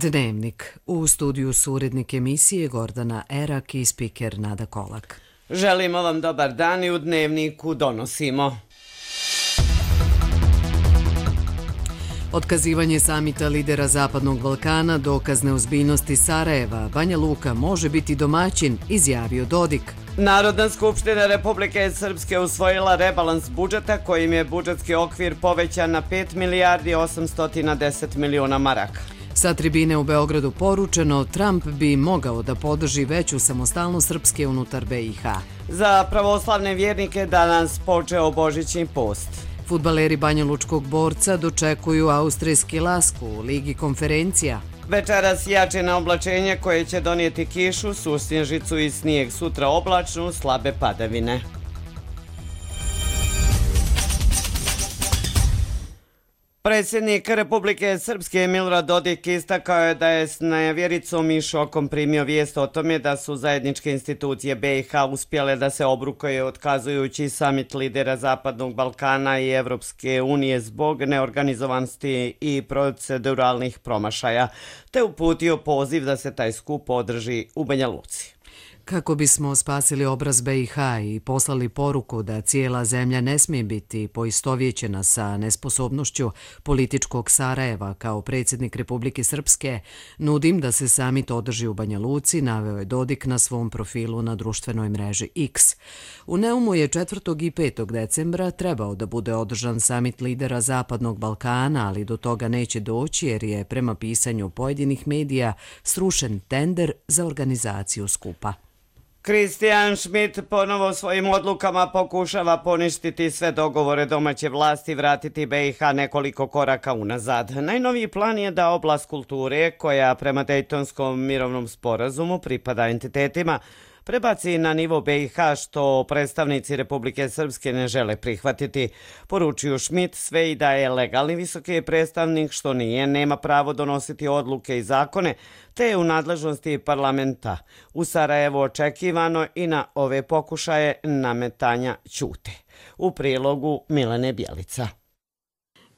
Dnevnik. U studiju su urednik emisije Gordana Erak i spiker Nada Kolak. Želimo vam dobar dan i u Dnevniku donosimo. Otkazivanje samita lidera Zapadnog Balkana, dokaz neozbiljnosti Sarajeva, Banja Luka može biti domaćin, izjavio Dodik. Narodna skupština Republike Srpske usvojila rebalans budžeta kojim je budžetski okvir povećan na 5 milijardi 810 miliona maraka. Sa tribine u Beogradu poručeno, Trump bi mogao da podrži veću samostalnost Srpske unutar BiH. Za pravoslavne vjernike danas počeo Božićni post. Fudbaleri banjalučkog Borca dočekuju austrijski Lask u Ligi konferencija. Večeras jače na oblačenje koje će donijeti kišu, susnježicu i snijeg, sutra oblačno, slabe padavine. Predsjednik Republike Srpske Milorad Dodik istakao je da je s nevjericom i šokom primio vijest o tome da su zajedničke institucije BiH uspjele da se obrukaju otkazujući samit lidera Zapadnog Balkana i Evropske unije zbog neorganizovanosti i proceduralnih promašaja, te uputio poziv da se taj skup održi u Banja Luci. Kako bismo spasili obraz BiH i poslali poruku da cijela zemlja ne smije biti poistovjećena sa nesposobnošću političkog Sarajeva kao predsjednik Republike Srpske, nudim da se samit održi u Banja Luci, naveo je Dodik na svom profilu na društvenoj mreži X. U Neumu je 4. i 5. decembra trebao da bude održan samit lidera Zapadnog Balkana, ali do toga neće doći jer je prema pisanju pojedinih medija srušen tender za organizaciju skupa. Christian Schmidt ponovo svojim odlukama pokušava poništiti sve dogovore domaće vlasti i vratiti BiH nekoliko koraka unazad. Najnoviji plan je da oblast kulture, koja prema Dejtonskom mirovnom sporazumu pripada entitetima, prebaci na nivo BiH, što predstavnici Republike Srpske ne žele prihvatiti. Poručuju Schmidt sve i da je legalni visoki predstavnik, što nije, nema pravo donositi odluke i zakone, te je u nadležnosti parlamenta. U Sarajevu očekivano i na ove pokušaje nametanja ćute. U prilogu Milene Bjelica.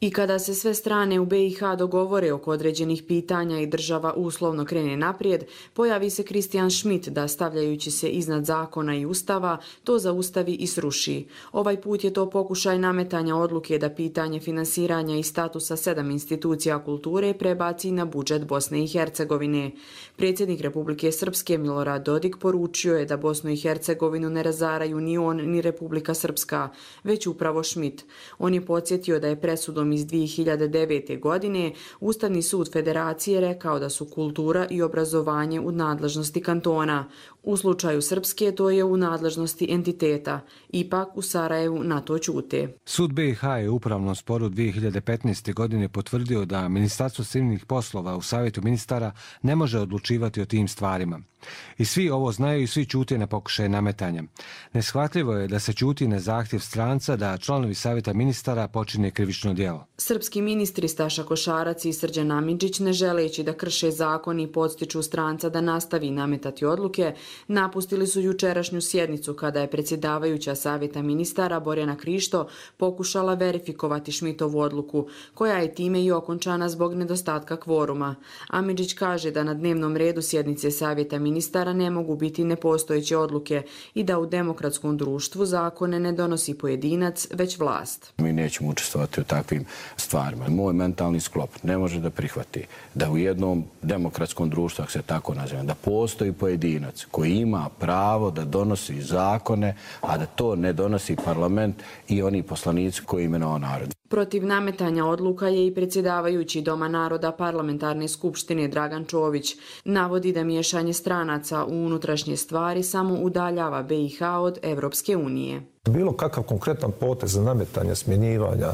I kada se sve strane u BiH dogovore oko određenih pitanja i država uslovno krene naprijed, pojavi se Christian Schmidt da, stavljajući se iznad zakona i ustava, to zaustavi i sruši. Ovaj put je to pokušaj nametanja odluke da pitanje finansiranja i statusa 7 institucija kulture prebaci na budžet Bosne i Hercegovine. Predsjednik Republike Srpske Milorad Dodik poručio je da Bosnu i Hercegovinu ne razaraju ni on ni Republika Srpska, već upravo Schmidt. On je podsjetio da je presudom iz 2009. godine Ustavni sud Federacije rekao da su kultura i obrazovanje u nadležnosti kantona. U slučaju Srpske to je u nadležnosti entiteta. Ipak u Sarajevu na to ćute. Sud BiH je u upravnom sporu 2015. godine potvrdio da Ministarstvo civilnih poslova u Savjetu ministara ne može odlučivati o tim stvarima. I svi ovo znaju i svi ćute na pokušaje nametanja. Neshvatljivo je da se ćuti na zahtjev stranca da članovi Savjeta ministara počine krivično djelo. Srpski ministri Staša Košarac i Srđan Amidžić, ne želeći da krše zakon i podstiču stranca da nastavi nametati odluke, napustili su jučerašnju sjednicu kada je predsjedavajuća Savjeta ministara Borjana Krišto pokušala verifikovati Schmidtovu odluku, koja je time i okončana zbog nedostatka kvoruma. Amidžić kaže da na dnevnom redu sjednice Savjeta ministara ne mogu biti nepostojeće odluke i da u demokratskom društvu zakone ne donosi pojedinac, već vlast. Mi nećemo učestvovati u takvim stvarima. Moj mentalni sklop ne može da prihvati da u jednom demokratskom društvu, ako se tako nazivam, da postoji pojedinac koji ima pravo da donosi zakone, a da to ne donosi parlament i oni poslanici koji imenovao narod. Protiv nametanja odluka je i predsjedavajući Doma naroda Parlamentarne skupštine Dragan Čović. Navodi da miješanje stranaca u unutrašnje stvari samo udaljava BiH od Evropske unije. Bilo kakav konkretan potez za nametanje, smjenjivanja,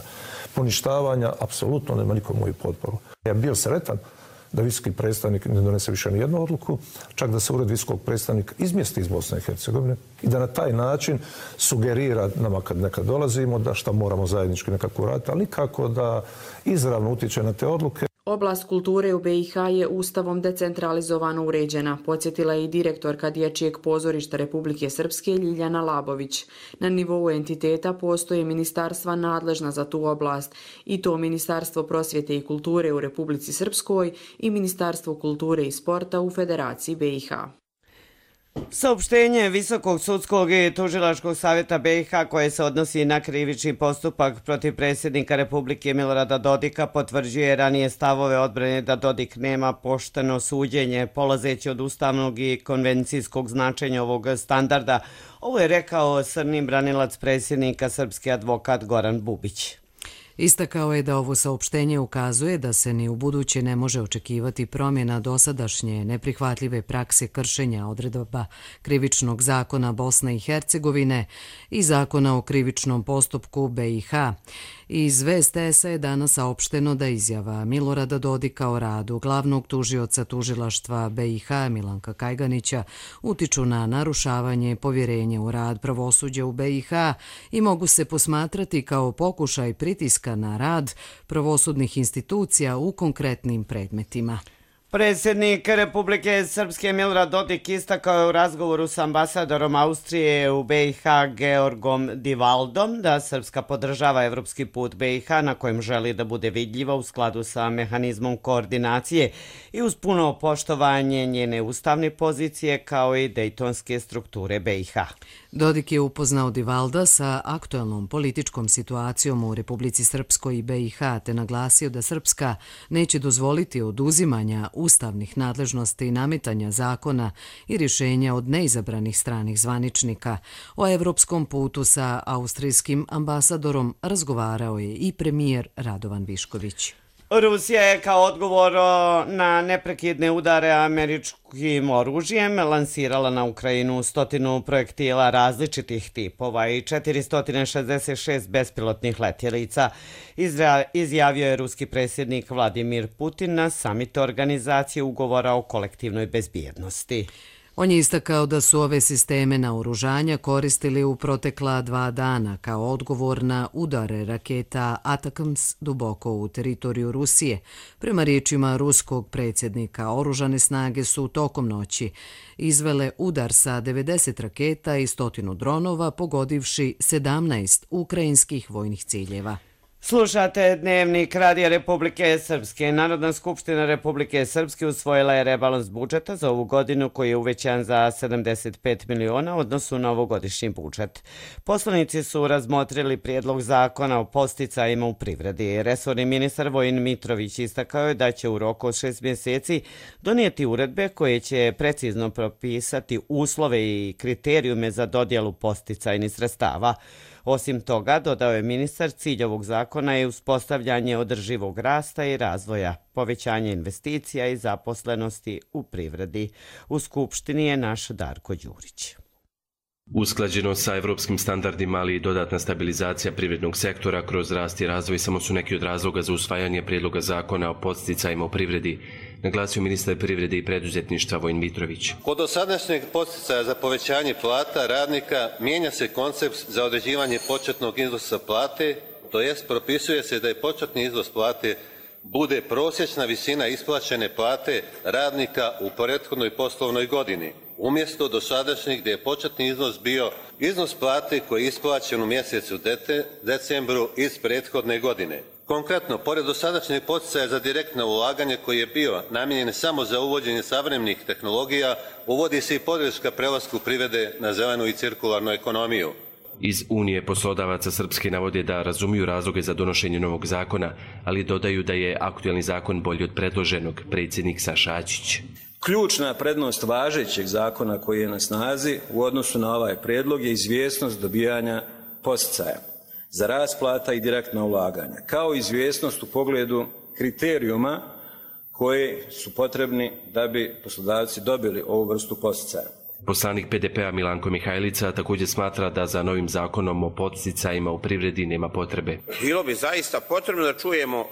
poništavanja, apsolutno nema nikom moju potporu. Ja bio sretan da visoki predstavnik ne donese više ni jednu odluku, čak da se ured visokog predstavnika izmjesti iz Bosne i Hercegovine i da na taj način sugerira nama kad nekad dolazimo da šta moramo zajednički nekako raditi, ali nikako da izravno utječe na te odluke. Oblast kulture u BiH je ustavom decentralizovano uređena, podsjetila je i direktorka Dječjeg pozorišta Republike Srpske Ljiljana Labović. Na nivou entiteta postoje ministarstva nadležna za tu oblast, i to Ministarstvo prosvjete i kulture u Republici Srpskoj i Ministarstvo kulture i sporta u Federaciji BiH. Saopštenje Visokog sudskog i tužilačkog savjeta BiH koje se odnosi na krivični postupak protiv predsjednika Republike Milorada Dodika potvrđuje ranije stavove odbrane da Dodik nema pošteno suđenje, polazeći od ustavnog i konvencijskog značenja ovog standarda. Ovo je rekao srni branilac predsjednika, srpski advokat Goran Bubić. Istakao je da ovo saopštenje ukazuje da se ni u buduće ne može očekivati promjena dosadašnje neprihvatljive prakse kršenja odredaba Krivičnog zakona Bosne i Hercegovine i Zakona o krivičnom postupku BiH. Iz VSTS-a je danas saopšteno da izjava Milorada Dodika o radu glavnog tužioca tužilaštva BiH Milanka Kajganića utiču na narušavanje povjerenja u rad pravosuđa u BiH i mogu se posmatrati kao pokušaj pritiska na rad pravosudnih institucija u konkretnim predmetima. Predsjednik Republike Srpske Milorad Dodik istakao je u razgovoru s ambasadorom Austrije u BiH Georgom Divaldom da Srpska podržava evropski put BiH na kojem želi da bude vidljiva u skladu sa mehanizmom koordinacije i uz puno poštovanje njene ustavne pozicije kao i dejtonske strukture BiH. Dodik je upoznao Divalda sa aktuelnom političkom situacijom u Republici Srpskoj i BiH te naglasio da Srpska neće dozvoliti oduzimanja ustavnih nadležnosti i nametanja zakona i rješenja od neizabranih stranih zvaničnika. O evropskom putu sa austrijskim ambasadorom razgovarao je i premijer Radovan Višković. Rusija je kao odgovor na neprekidne udare američkim oružjem lansirala na Ukrajinu 100 projektila različitih tipova i 466 bespilotnih letjelica, izjavio je ruski predsjednik Vladimir Putin na samitu organizacije ugovora o kolektivnoj bezbjednosti. On je istakao da su ove sisteme naoružanja koristili u protekla 2 dana kao odgovor na udare raketa Atakams duboko u teritoriju Rusije. Prema riječima ruskog predsjednika, oružane snage su tokom noći izvele udar sa 90 raketa i 100 dronova, pogodivši 17 ukrajinskih vojnih ciljeva. Slušate Dnevnik Radija Republike Srpske. Narodna skupština Republike Srpske usvojila je rebalans budžeta za ovu godinu koji je uvećan za 75 miliona u odnosu na ovogodišnji budžet. Poslanici su razmotrili prijedlog zakona o podsticajima u privredi. Resorni ministar Vojin Mitrović istakao je da će u roku od 6 mjeseci donijeti uredbe koje će precizno propisati uslove i kriterijume za dodjelu podsticajnih sredstava. Osim toga, dodao je ministar, cilj ovog zakona je uspostavljanje održivog rasta i razvoja, povećanje investicija i zaposlenosti u privredi. U Skupštini je naš Darko Đurić. Usklađeno sa evropskim standardima, ali i dodatna stabilizacija privrednog sektora kroz rast i razvoj samo su neki od razloga za usvajanje prijedloga zakona o podsticajima u privredi, naglasio ministar privrede i preduzetništva Vojin Mitrović. Kod dosadašnjeg podsticaja za povećanje plata radnika mijenja se koncept za određivanje početnog iznosa plate, to jest propisuje se da je početni iznos plate bude prosječna visina isplaćene plate radnika u prethodnoj poslovnoj godini, umjesto dosadašnjeg gdje je početni iznos bio iznos plate koji je isplaćen u mjesecu decembru iz prethodne godine. Konkretno, pored dosadašnjeg poticaja za direktno ulaganje koji je bio namijenjen samo za uvođenje savremenih tehnologija, uvodi se i podrška prelasku privrede na zelenu i cirkularnu ekonomiju. Iz Unije poslodavaca Srpske navode da razumiju razloge za donošenje novog zakona, ali dodaju da je aktuelni zakon bolji od predloženog, predsjednik Saša Ačić. Ključna prednost važećeg zakona koji je na snazi u odnosu na ovaj prijedlog je izvjesnost dobijanja podsticaja za rast plata i direktna ulaganja, kao i izvjesnost u pogledu kriterijuma koji su potrebni da bi poslodavci dobili ovu vrstu podsticaja. Poslanik PDP-a Milanko Mihajlica također smatra da za novim zakonom o podsticajima u privredi nema potrebe. Bilo bi zaista potrebno da čujemo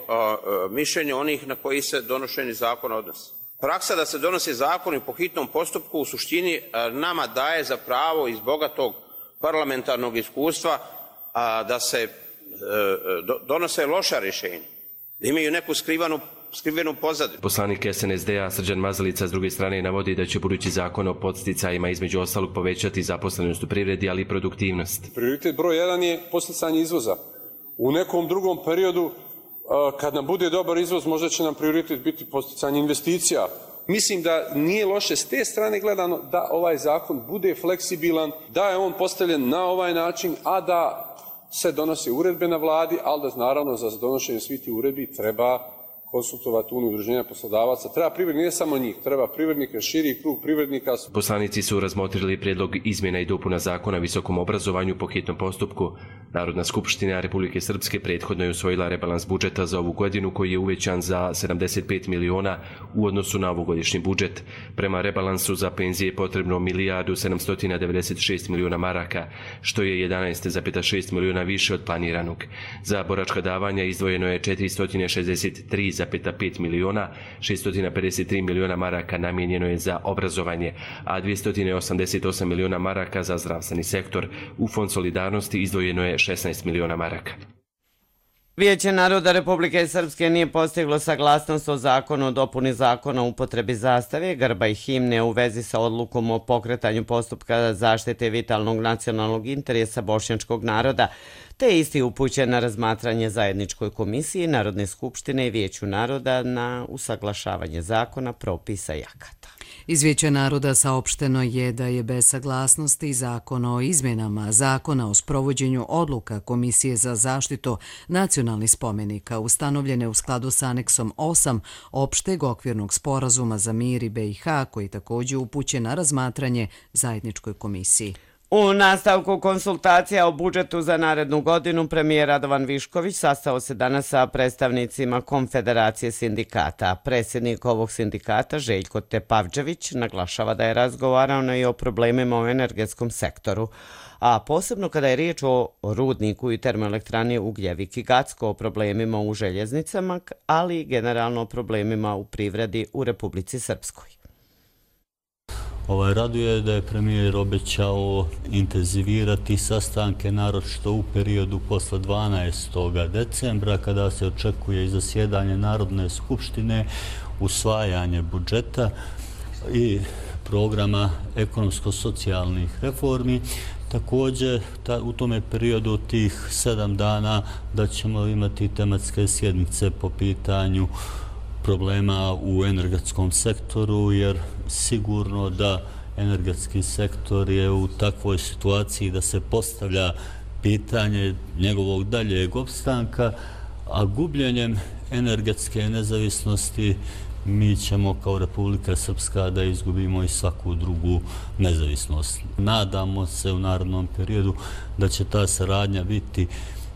mišljenje onih na koji se donošenje zakona odnosi. Praksa da se donosi zakoni po hitnom postupku u suštini nama daje za pravo iz bogatog parlamentarnog iskustva da se donose loša rješenja, da imaju neku skrivanu skrivenu pozadinu. Poslanik SNSD-a Srđan Mazalica s druge strane navodi da će budući zakon o podsticajima između ostalog povećati zaposlenost u privredi, ali i produktivnost. Prioritet broj 1 je podsticanje izvoza. U nekom drugom periodu, kad nam bude dobar izvoz, možda će nam prioritet biti podsticanje investicija. Mislim da nije loše s te strane gledano da ovaj zakon bude fleksibilan, da je on postavljen na ovaj način, a da se donosi uredbe na vladi, ali da naravno za donošenje svih tih uredbi treba konsultovati udruženja poslodavaca. Treba privrednika, ne samo njih, treba privrednika, širi krug privrednika. Poslanici su razmotrili prijedlog izmjena i dopuna zakona o visokom obrazovanju po hitnom postupku. Narodna skupština Republike Srpske prethodno je usvojila rebalans budžeta za ovu godinu koji je uvećan za 75 miliona u odnosu na ovogodišnji budžet. Prema rebalansu za penzije je potrebno 1.796 miliona maraka, što je 11,6 miliona više od planiranog. Za boračka davanja izdvojeno je 463,5 miliona, 653 miliona maraka namijenjeno je za obrazovanje, a 288 miliona maraka za zdravstveni sektor. U Fond solidarnosti izdvojeno je 16 miliona maraka. Vijeće naroda Republike Srpske nije postiglo saglasnost o zakonu o dopuni zakona o upotrebi zastave, grba i himne u vezi sa odlukom o pokretanju postupka zaštite vitalnog nacionalnog interesa bošnjačkog naroda, te je isti upućen na razmatranje zajedničkoj komisiji Narodne skupštine i Vijeću naroda na usaglašavanje zakona, propisa i akata. Iz Vijeća naroda saopšteno je da je bez saglasnosti Zakon o izmjenama Zakona o sprovođenju odluka Komisije za zaštitu nacionalnih spomenika ustanovljene u skladu s aneksom 8 opšteg okvirnog sporazuma za mir i BiH, koji također upućen na razmatranje zajedničkoj komisiji. U nastavku konsultacija o budžetu za narednu godinu premijer Radovan Višković sastao se danas sa predstavnicima Konfederacije sindikata. Predsjednik ovog sindikata Željko Tepavđević naglašava da je razgovarano i o problemima u energetskom sektoru, a posebno kada je riječ o rudniku i termoelektrani Ugljevik i Gacko, o problemima u željeznicama, ali i generalno o problemima u privredi u Republici Srpskoj. Raduje da je premijer obećao intenzivirati sastanke, naročito u periodu posle 12. decembra, kada se očekuje i zasjedanje Narodne skupštine, usvajanje budžeta i programa ekonomsko-socijalnih reformi. Također, u tome periodu tih 7 dana da ćemo imati tematske sjednice po pitanju problema u energetskom sektoru, jer sigurno da energetski sektor je u takvoj situaciji da se postavlja pitanje njegovog daljeg opstanka, a gubljenjem energetske nezavisnosti mi ćemo kao Republika Srpska da izgubimo i svaku drugu nezavisnost. Nadamo se u narednom periodu da će ta saradnja biti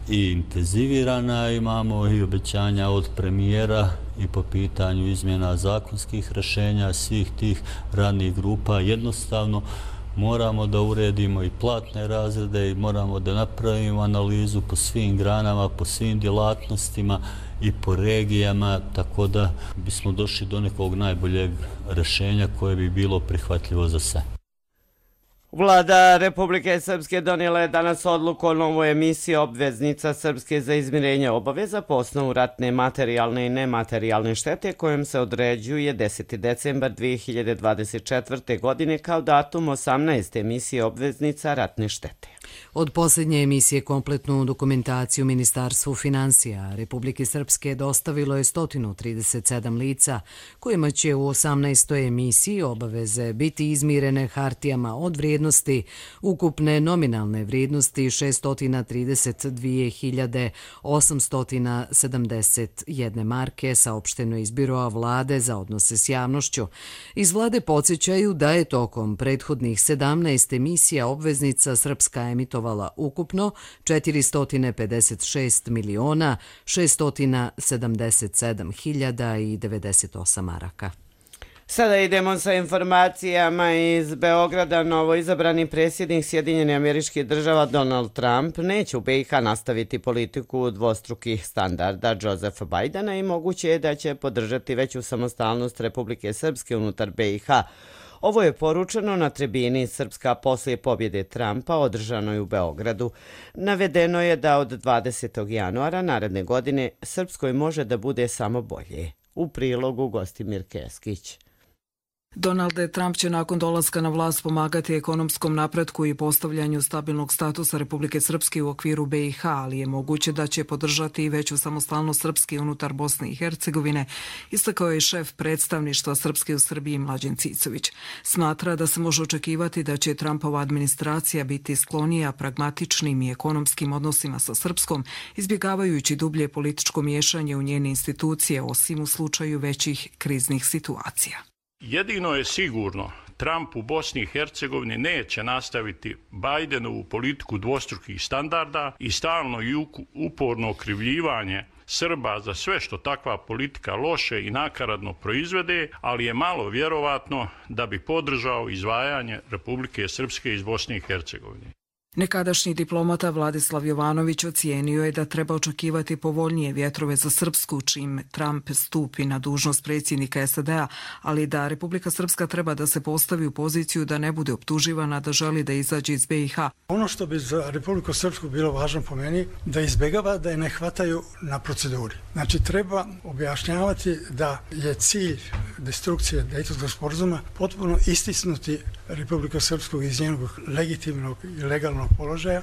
i intenzivirana. Imamo i obećanja od premijera i po pitanju izmjena zakonskih rješenja svih tih radnih grupa. Jednostavno moramo da uredimo i platne razrede i moramo da napravimo analizu po svim granama, po svim djelatnostima i po regijama, tako da bismo došli do nekog najboljeg rješenja koje bi bilo prihvatljivo za sve. Vlada Republike Srpske donijela je danas odluku o novoj emisiji obveznica Srpske za izmirenje obaveza po osnovu ratne materijalne i nematerijalne štete, kojom se određuje 10. decembar 2024. godine kao datum 18. emisije obveznica ratne štete. Od posljednje emisije kompletnu dokumentaciju Ministarstvu financija Republike Srpske dostavilo je 137 lica, kojima će u 18. emisiji obaveze biti izmirene hartijama od vrijednosti ukupne nominalne vrijednosti 632.871 marke, saopšteno iz Biroa vlade za odnose s javnošću. Iz vlade podsjećaju da je tokom prethodnih 17 emisija obveznica Srpska emitovala ukupno 456.677.098 maraka. Sada idemo sa informacijama iz Beograda. Novo izabrani predsjednik Sjedinjenih Američkih Država Donald Trump neće u BiH nastaviti politiku dvostrukih standarda Josefa Bajdena i moguće je da će podržati veću samostalnost Republike Srpske unutar BiH. Ovo je poručeno na tribini Srpska poslije pobjede Trumpa održanoj u Beogradu. Navedeno je da od 20. januara naredne godine Srpskoj može da bude samo bolje. U prilogu Gostimir Keskić. Donald Trump će nakon dolaska na vlast pomagati ekonomskom napretku i postavljanju stabilnog statusa Republike Srpske u okviru BiH, ali je moguće da će podržati i veću samostalnost Srpske unutar Bosne i Hercegovine, istakao je šef predstavništva Srpske u Srbiji Mlađen Cicović. Smatra da se može očekivati da će Trumpova administracija biti sklonija pragmatičnim i ekonomskim odnosima sa Srpskom, izbjegavajući dublje političko miješanje u njene institucije, osim u slučaju većih kriznih situacija. Jedino je sigurno, Trump u Bosni i Hercegovini neće nastaviti Bidenovu politiku dvostrukih standarda i stalno i uporno okrivljivanje Srba za sve što takva politika loše i nakaradno proizvede, ali je malo vjerovatno da bi podržao izdvajanje Republike Srpske iz Bosne i Hercegovine. Nekadašnji diplomata Vladislav Jovanović ocijenio je da treba očekivati povoljnije vjetrove za Srpsku čim Trump stupi na dužnost predsjednika SAD-a, ali da Republika Srpska treba da se postavi u poziciju da ne bude optuživana da želi da izađe iz BiH. Ono što bi za Republiku Srpsku bilo važno po meni, da izbjegava da je ne hvataju na proceduri. Znači treba objašnjavati da je cilj destrukcije Dejtonskog sporazuma potpuno istisnuti Republiku Srpsku iz njenog legitimnog i legalnog položaja.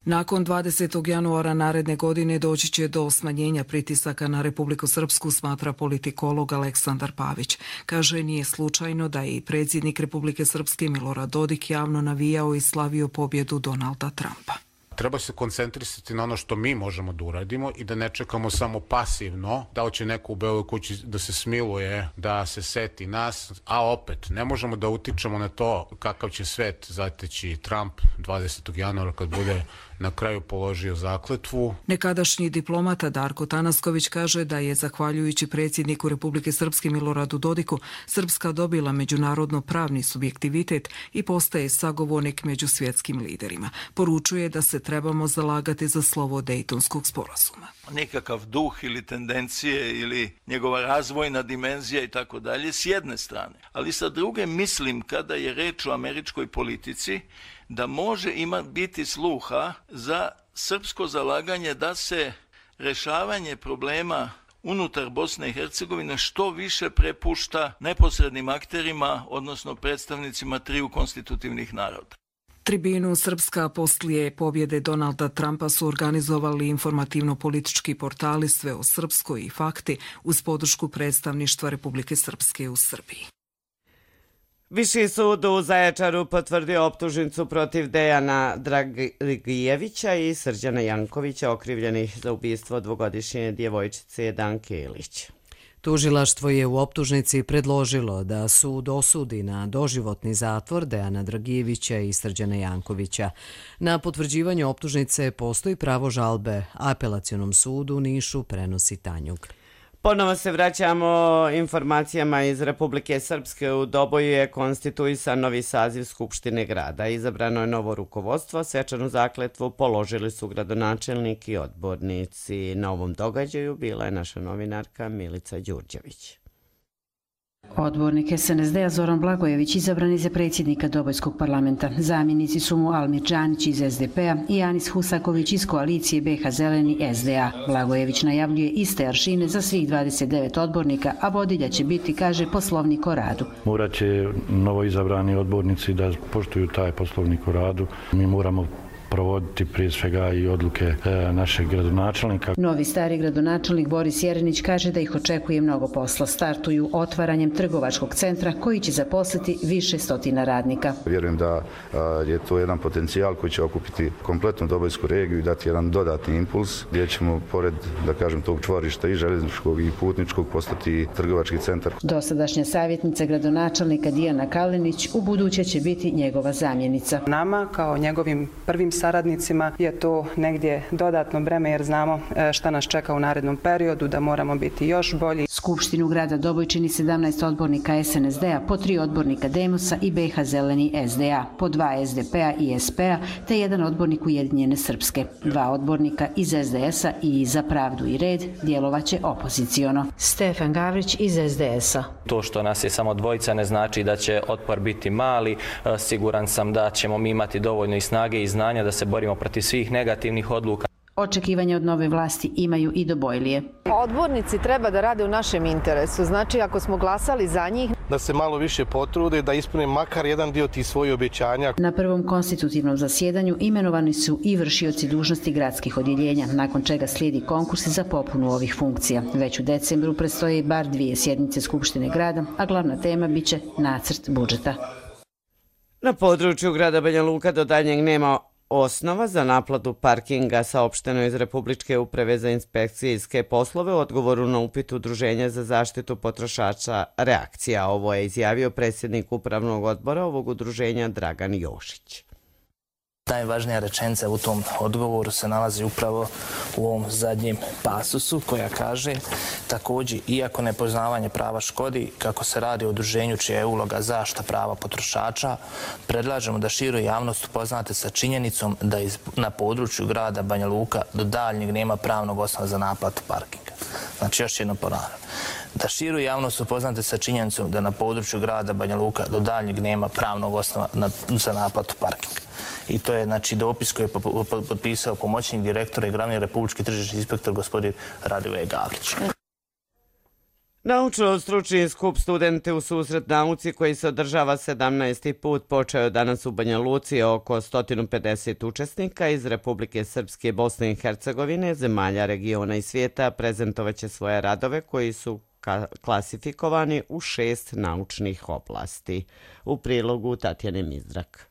Nakon 20. januara naredne godine doći će do smanjenja pritisaka na Republiku Srpsku, smatra politikolog Aleksandar Pavić. Kaže, nije slučajno da je i predsjednik Republike Srpske Milorad Dodik javno navijao i slavio pobjedu Donalda Trumpa. Treba se koncentrisati na ono što mi možemo da uradimo i da ne čekamo samo pasivno, da će neko u Beloj kući da se smiluje, da se seti nas, a opet ne možemo da utičemo na to kakav će svet zateći Trump 20. januara kad bude na kraju položio zakletvu. Nekadašnji diplomata Darko Tanasković kaže da je, zahvaljujući predsjedniku Republike Srpske Miloradu Dodiku, Srpska dobila međunarodno pravni subjektivitet i postaje sagovornik među svjetskim liderima. Poručuje da se trebamo zalagati za slovo Dejtonskog sporazuma. Nekakav duh ili tendencije ili njegova razvojna dimenzija i tako dalje s jedne strane. Ali sa druge mislim, kada je reč o američkoj politici, da može biti sluha za srpsko zalaganje da se rješavanje problema unutar Bosne i Hercegovine što više prepušta neposrednim akterima, odnosno predstavnicima triju konstitutivnih naroda. Tribinu Srpska poslije pobjede Donalda Trumpa su organizovali informativno-politički portali Sve o Srpskoj i Fakti uz podršku predstavništva Republike Srpske u Srbiji. Viši sud u Zaječaru potvrdio optužnicu protiv Dejana Dragijevića i Srđana Jankovića, okrivljenih za ubistvo dvogodišnje djevojčice Danke Ilić. Tužilaštvo je u optužnici predložilo da sud osudi na doživotni zatvor Dejana Dragijevića i Srđana Jankovića. Na potvrđivanje optužnice postoji pravo žalbe. Apelacionom sudu u Nišu prenosi Tanjug. Ponovo se vraćamo informacijama iz Republike Srpske. U Doboju je konstituisan novi saziv Skupštine grada. Izabrano je novo rukovodstvo. Svečanu zakletvu položili su gradonačelnik i odbornici. Na ovom događaju bila je naša novinarka Milica Đurđević. Odbornik SNSD-a Zoran Blagojević izabran je za predsjednika Dobojskog parlamenta. Zamjenici su mu Almir Džanić iz SDP-a i Anis Husaković iz koalicije BiH Zeleni SDA. Blagojević najavljuje iste aršine za svih 29 odbornika, a vodilja će biti, kaže, poslovnik o radu. Morat će novoizabrani odbornici da poštuju taj poslovnik o radu. Mi moramo provoditi prije svega i odluke našeg gradonačelnika. Novi stari gradonačelnik Boris Jerenić kaže da ih očekuje mnogo posla. Startuju otvaranjem trgovačkog centra koji će zaposliti više stotina radnika. Vjerujem da je to jedan potencijal koji će okupiti kompletnu Dobojsku regiju i dati jedan dodatni impuls gdje ćemo pored, da kažem, tog čvorišta i željezničkog i putničkog postati trgovački centar. Dosadašnja savjetnica gradonačelnika Dijana Kalinić u buduće će biti njegova zamjenica. Nama kao njegovim prvim saradnicima je to negdje dodatno breme jer znamo šta nas čeka u narednom periodu, da moramo biti još bolji. Skupštinu grada Doboj čini 17 odbornika SNSD-a, po 3 odbornika Demosa i BiH Zeleni SDA, po 2 SDP-a i SP-a, te jedan odbornik Ujedinjene Srpske. 2 odbornika iz SDS-a i Za pravdu i red djelovaće opoziciono. Stefan Gavrić iz SDS-a. To što nas je samo dvojica ne znači da će otpor biti mali. Siguran sam da ćemo mi imati dovoljno i snage i znanja da se borimo protiv svih negativnih odluka. Očekivanja od nove vlasti imaju i Dobojlije. Odbornici treba da rade u našem interesu. Znači, ako smo glasali za njih, da se malo više potrude, da ispune makar jedan dio tih svojih obećanja. Na prvom konstitutivnom zasjedanju imenovani su i vršioci dužnosti gradskih odjeljenja, nakon čega slijedi konkursi za popunu ovih funkcija. Već u decembru predstoje bar 2 sjednice Skupštine grada, a glavna tema biće nacrt budžeta. Na području grada Banja Luka do daljnjeg nema osnova za naplatu parkinga, saopšteno iz Republičke uprave za inspekcijske poslove u odgovoru na upit Udruženja za zaštitu potrošača Reakcija. Ovo je izjavio predsjednik upravnog odbora ovog udruženja Dragan Jošić. Najvažnija rečenica u tom odgovoru se nalazi upravo u ovom zadnjem pasusu koja kaže također, iako nepoznavanje prava škodi, kako se radi o udruženju čija je uloga zaštita prava potrošača, predlažemo da širu javnost upoznate sa činjenicom da na području grada Banja Luka do daljnjeg nema pravnog osnova za naplatu parkinga. Znači, još jedno ponavljam. Da širu javnost upoznate sa činjenicom da na području grada Banja Luka do daljnjeg nema pravnog osnova za naplatu parkinga. I to je dopis koji je potpisao pomoćnik direktora i glavni republički tržišni inspektor gospodin Radivoje Gavrić. Naučno-stručni skup Studente u susret nauci koji se održava 17. put počeo danas u Banja Luci. Oko 150 učesnika iz Republike Srpske, Bosne i Hercegovine, zemalja regiona i svijeta prezentovaće svoje radove koji su klasifikovani u 6 naučnih oblasti. U prilogu Tatjane Mizdrak.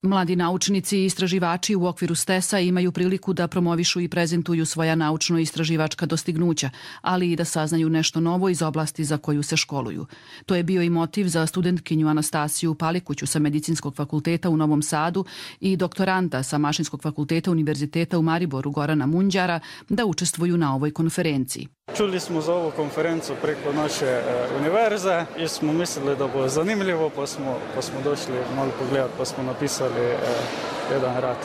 Mladi naučnici i istraživači u okviru STES-a imaju priliku da promovišu i prezentuju svoja naučno-istraživačka dostignuća, ali i da saznaju nešto novo iz oblasti za koju se školuju. To je bio i motiv za studentkinju Anastasiju Palikuću sa Medicinskog fakulteta u Novom Sadu i doktoranta sa Mašinskog fakulteta Univerziteta u Mariboru Gorana Munđara da učestvuju na ovoj konferenciji. Čuli smo za ovu konferenciju preko naše univerze i smo mislili da bude zanimljivo, pa smo došli malo pogledati, pa smo napisali jedan rad.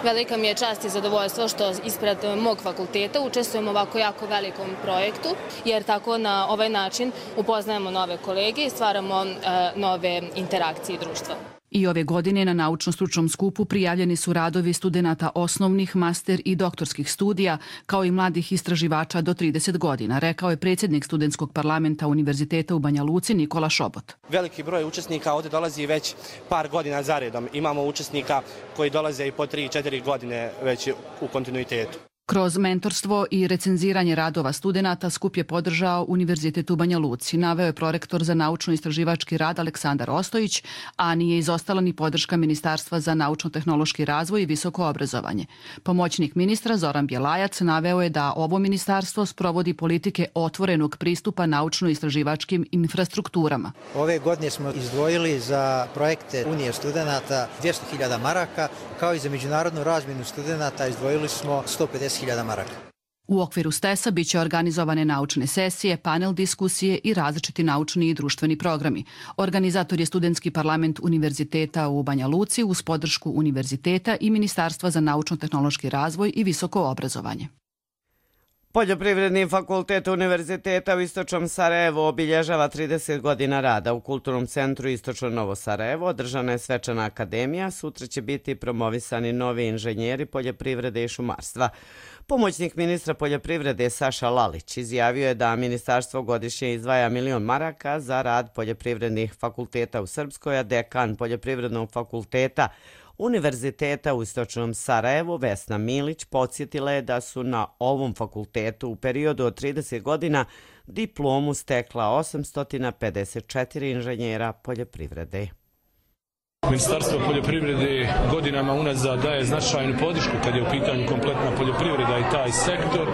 Velika mi je čast i zadovoljstvo što ispred mog fakulteta učestvujemo u ovako jako velikom projektu, jer tako na ovaj način upoznajemo nove kolege i stvaramo nove interakcije društva. I ove godine na naučno-stručnom skupu prijavljeni su radovi studenata osnovnih, master i doktorskih studija, kao i mladih istraživača do 30 godina, rekao je predsjednik Studentskog parlamenta Univerziteta u Banja Luci Nikola Šobot. Veliki broj učesnika ovdje dolazi već par godina zaredom. Imamo učesnika koji dolaze i po 3-4 godine već u kontinuitetu. Kroz mentorstvo i recenziranje radova studenata skup je podržao Univerzitet u Banja Luci, naveo je prorektor za naučno-istraživački rad Aleksandar Ostojić, a nije izostala ni podrška Ministarstva za naučno-tehnološki razvoj i visoko obrazovanje. Pomoćnik ministra Zoran Bjelajac naveo je da ovo ministarstvo sprovodi politike otvorenog pristupa naučno-istraživačkim infrastrukturama. Ove godine smo izdvojili za projekte Unije studenata 200.000 maraka, kao i za međunarodnu razmjenu studenata izdvojili smo 150.000 maraka. U okviru STES-a biće organizovane naučne sesije, panel diskusije i različiti naučni i društveni programi. Organizator je Studentski parlament Univerziteta u Banja Luci uz podršku Univerziteta i Ministarstva za naučno-tehnološki razvoj i visoko obrazovanje. Poljoprivredni fakultet Univerziteta u Istočnom Sarajevu obilježava 30 godina rada. U Kulturnom centru Istočno Novo Sarajevo održana je svečana akademija. Sutra će biti promovisani novi inženjeri poljoprivrede i šumarstva. Pomoćnik ministra poljoprivrede Saša Lalić izjavio je da ministarstvo godišnje izdvaja 1 milion maraka za rad poljoprivrednih fakulteta u Srpskoj, a dekan Poljoprivrednog fakulteta Univerziteta u Istočnom Sarajevu Vesna Milić podsjetila je da su na ovom fakultetu u periodu od 30 godina diplomu stekla 854 inženjera poljoprivrede. Ministarstvo poljoprivrede godinama unazad daje značajnu podršku kad je u pitanju kompletna poljoprivreda i taj sektor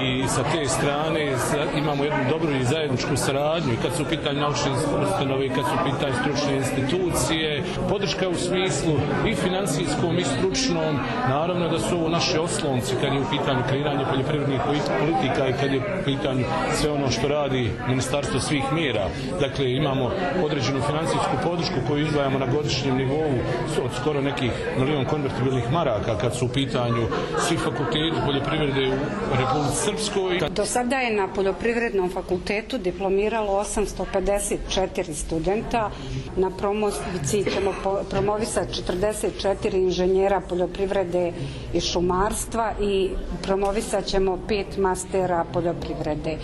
i sa te strane imamo jednu dobru i zajedničku saradnju i kad su u pitanju naučne ustanove i kad su u pitanju stručne institucije. Podrška u smislu i financijskom i stručnom, naravno da su ovo naši oslonci kad je u pitanju kreiranje poljoprivrednih politika i kad je u pitanju sve ono što radi Ministarstvo svih mjera. Dakle, imamo određenu financijsku podršku koju izdvajamo na godišnjoj godišnjem nivou od skoro nekih 1 milion konvertibilnih maraka kad su u pitanju svi fakulteti poljoprivrede u Republici Srpskoj. Do sada je na Poljoprivrednom fakultetu diplomiralo 854 studenta. Na promociji ćemo promovisati 44 inženjera poljoprivrede i šumarstva i promovisat ćemo 5 mastera poljoprivrede.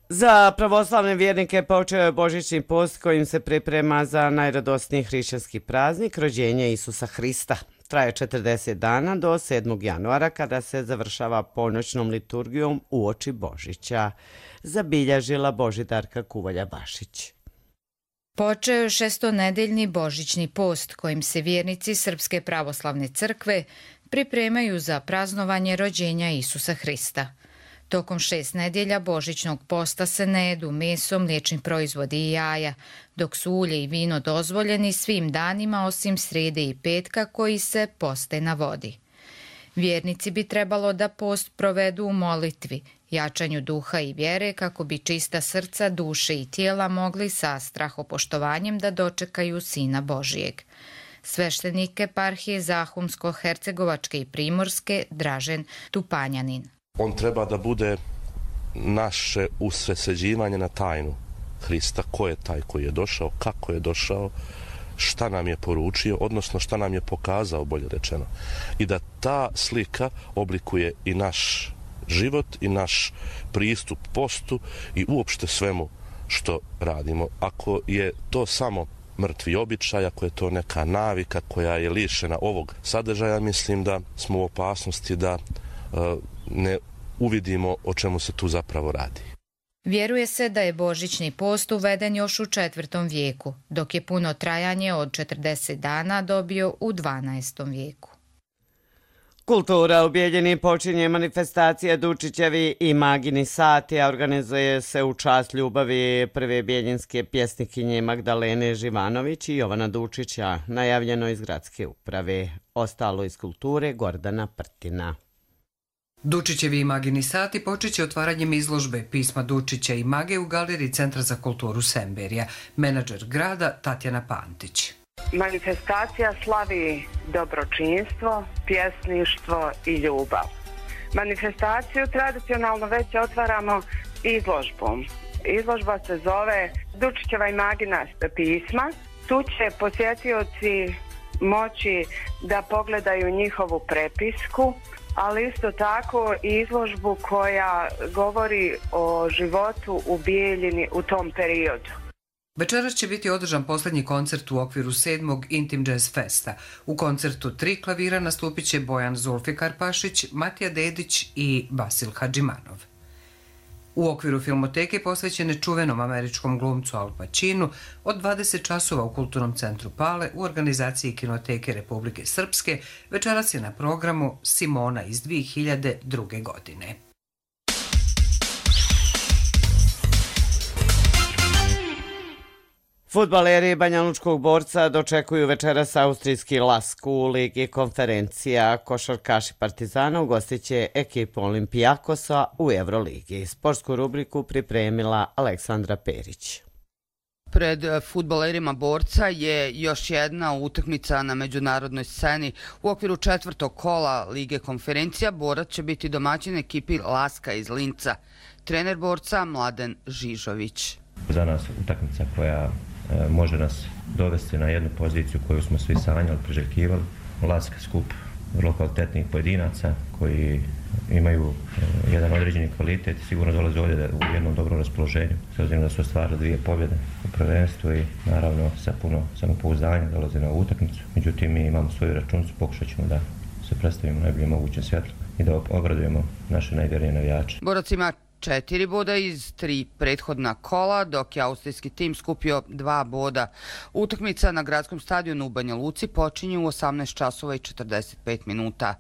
Za pravoslavne vjernike počeo je božićni post kojim se priprema za najradosniji hrišćanski praznik, rođenje Isusa Hrista. Traje 40 dana do 7. januara kada se završava ponoćnom liturgijom uoči Božića, zabilježila Božidarka Kuvalja-Bašić. Počeo je šestonedeljni božićni post kojim se vjernici Srpske pravoslavne crkve pripremaju za praznovanje rođenja Isusa Hrista. Tokom 6 nedjelja božićnog posta se ne jedu meso, mliječni proizvodi i jaja, dok su ulje i vino dozvoljeni svim danima osim srijede i petka koji se poste na vodi. Vjernici bi trebalo da post provedu u molitvi, jačanju duha i vjere kako bi čista srca, duše i tijela mogli sa strahopoštovanjem da dočekaju Sina Božijeg. Sveštenik eparhije Zahumsko-Hercegovačke i Primorske Dražen Tupanjanin. On treba da bude naše usredsređivanje na tajnu Hrista, ko je taj koji je došao, kako je došao, šta nam je poručio, odnosno šta nam je pokazao, bolje rečeno. I da ta slika oblikuje i naš život i naš pristup postu i uopšte svemu što radimo. Ako je to samo mrtvi običaj, ako je to neka navika koja je lišena ovog sadržaja, mislim da smo u opasnosti da ne uvidimo o čemu se tu zapravo radi. Vjeruje se da je božićni post uveden još u 4. vijeku, dok je puno trajanje od 40 dana dobio u 12. vijeku. Kultura u Bijeljini počinje manifestacija Dučićevi i Magini sati, a organizuje se u čast ljubavi prve bijeljinske pjesnikinje Magdalene Živanović i Jovana Dučića, najavljeno iz gradske uprave. Ostalo iz kulture Gordana Prtina. Dučićevi i Magini sati počeće otvaranjem izložbe pisma Dučića i Mage u galeriji Centra za kulturu Semberija. Menadžer grada Tatjana Pantić. Manifestacija slavi dobročinstvo, pjesništvo i ljubav. Manifestaciju tradicionalno već otvaramo izložbom. Izložba se zove Dučićeva i Magina pisma. Tu će posjetioci moći da pogledaju njihovu prepisku, ali isto tako i izložbu koja govori o životu u Bijeljini u tom periodu. Večeras će biti održan posljednji koncert u okviru 7. Intim Jazz Festa. U koncertu 3 klavira nastupit će Bojan Zulfikar Pašić, Matija Dedić i Vasil Hadžimanov. U okviru filmoteke posvećene čuvenom američkom glumcu Al Pacinu od 20 časova u Kulturnom centru Pale u organizaciji Kinoteke Republike Srpske večeras je na programu Simona iz 2002. godine. Fudbaleri Banjalučkog Borca dočekuju večeras austrijski Lask u Ligi konferencija. Košarkaši Partizana ugostit će ekipu Olimpijakosa u Euroligi. Sportsku rubriku pripremila Aleksandra Perić. Pred fudbalerima Borca je još jedna utakmica na međunarodnoj sceni. U okviru 4. kola Lige konferencija Borac će biti domaćin ekipi Laska iz Linca. Trener Borca Mladen Žižović. Za nas utakmica koja može nas dovesti na jednu poziciju koju smo svi sanjali, priželjkivali. Lask skup vrlo kvalitetnih pojedinaca koji imaju jedan određeni kvalitet i sigurno dolaze ovdje u jednom dobrom raspoloženju. S obzirom da su ostvarili 2 pobjede u prvenstvu i naravno sa puno samopouzdanja dolaze na ovu utakmicu. Međutim, mi imamo svoju računicu, pokušat ćemo da se predstavimo najbolje moguće svjetlo i da obradujemo naše najvjernije navijače. Borac ima 4 boda iz 3 prethodna kola, dok je austrijski tim skupio 2 boda. Utakmica na gradskom stadionu u Banja Luci počinje u 18 časova i 45 minuta.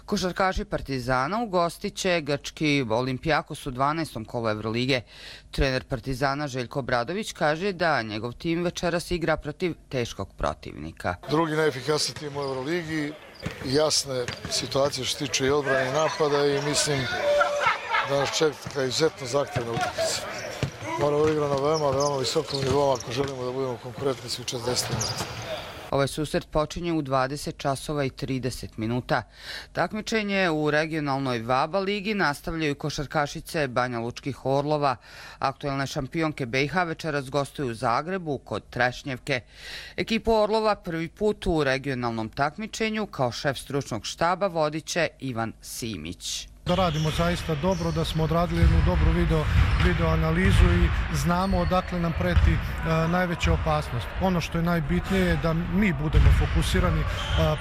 Košarkaši Partizana ugostit će grčki Olimpijakos u 12. kolu Evrolige. Trener Partizana Željko Obradović kaže da njegov tim večeras igra protiv teškog protivnika. Drugi najefikasniji tim u Evroligi, jasne situacije što se tiče i odbrane i napada i mislim da nas čeka izuzetno zahtjevna utakmica. mora odigra na veoma visokom nivou ako želimo da budemo konkurentni svih 40 minuta. Ovaj susret počinje u 20 časova i 30 minuta. Takmičenje u regionalnoj VABA ligi nastavljaju košarkašice Banja Lučkih Orlova. Aktuelne šampionke BiH večeras gostuju u Zagrebu kod Trešnjevke. Ekipu Orlova prvi put u regionalnom takmičenju kao šef stručnog štaba vodit će Ivan Simić. Da radimo zaista dobro, da smo odradili jednu dobru video analizu i znamo odakle nam preti najveća opasnost. Ono što je najbitnije je da mi budemo fokusirani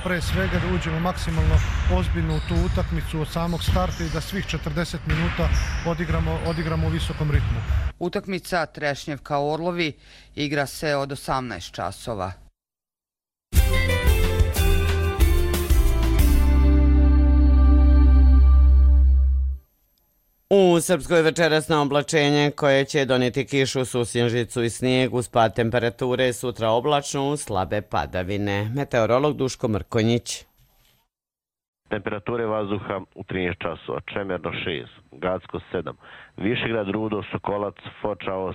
pre svega, da uđemo maksimalno ozbiljno u tu utakmicu od samog starta i da svih 40 minuta odigramo u visokom ritmu. Utakmica Trešnjevka Orlovi igra se od 18 časova. U Srpskoj večerasno oblačenje koje će donijeti kišu, susjenžicu i snijeg uz pad temperature, sutra oblačno uz slabe padavine. Meteorolog Duško Mrkonjić. Temperature vazduha u 13 časova, Čemerno 6, Gacko 7, Višegrad, Rudo, Sokolac, Foča 8,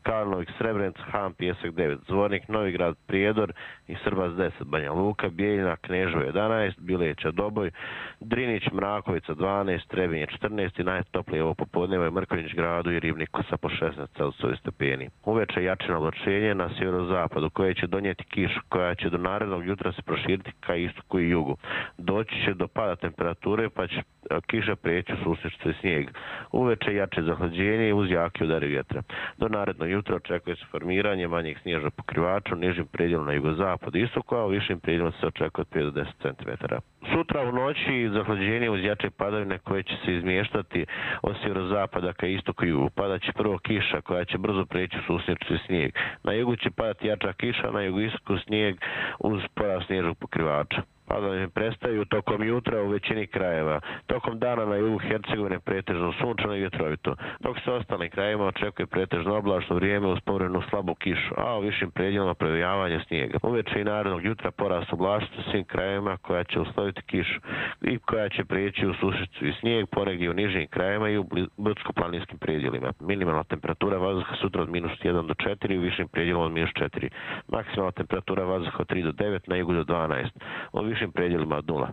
Karlovik, Srebrenica, Han, Pijesak 9, Zvornik, Novigrad, Prijedor i Srbac 10, Banja Luka, Bijeljina, Kneževo 11, Bileća, Doboj, Drinić, Mrakovica 12, Trebinje 14 i najtoplije ovo popodneva je Mrkonjić gradu i Ribniku sa po 16 celsijevi stepeni. Uveče jačino oblačenje na sjeverozapadu koje će donijeti kišu koja će do narednog jutra se proširiti ka istoku i jugu. Doći će do pada temperature pa će kiša prijeći u susjedstvo i snijeg. Uveče jače zahlađenje uz jaki udari vjetra. Do narednog jutra očekuje se formiranje manjeg snježnog pokrivača u nižim predjelom na jugozapadu i istoku, a u višim predjelom se očekuje od 5 do 10 cm. Sutra u noći zahlađenje uz jače padavine koje će se izmještati od sjeverozapada ka istoku i jugu. Padat će prvo kiša koja će brzo prijeći u susjedstvo i snijeg. Na jugu će padati jača kiša, na jugoistoku snijeg uz porast snježnog pokrivača. Padavine prestaju tokom jutra u većini krajeva. Tokom dana na jugu Hercegovine pretežno sunčano i vjetrovito, dok se ostalim krajevima očekuje pretežno oblačno vrijeme uz povremenu slabu kišu, a u višim predjelima previjavanje snijega. Uveče i narednog jutra porast oblačnosti u svim krajevima koja će usloviti kišu i koja će prijeći u susjedstvo i snijeg ponegdje u nižim krajevima i u brdsko-planinskim predjelima. Minimalna temperatura vazduha sutra od -1 do 4, u višim predjelima od -4. Maksimalna temperatura vazduha od 3 do 9, na jugu do 12. U višim predjelima od 0.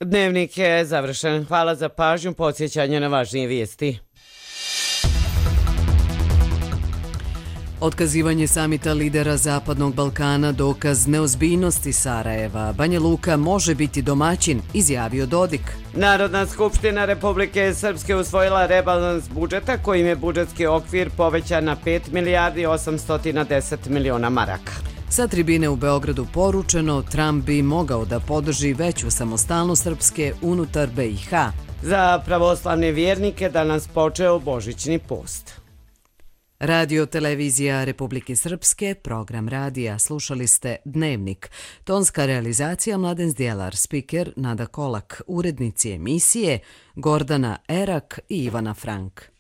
Dnevnik je završen. Hvala za pažnju, podsjećanje na važnije vijesti. Otkazivanje samita lidera Zapadnog Balkana dokaz neozbiljnosti Sarajeva. Banja Luka može biti domaćin, izjavio Dodik. Narodna skupština Republike Srpske usvojila rebalans budžeta kojim je budžetski okvir povećan na 5 milijardi 810 miliona maraka. Sa tribine u Beogradu poručeno, Trump bi mogao da podrži veću samostalnost Srpske unutar BiH. Za pravoslavne vjernike danas počeo Božićni post. Radio televizija Republike Srpske, program radija. Slušali ste Dnevnik. Tonska realizacija Mladen Zdjelar, spiker Nada Kolak, urednici emisije Gordana Erak i Ivana Frank.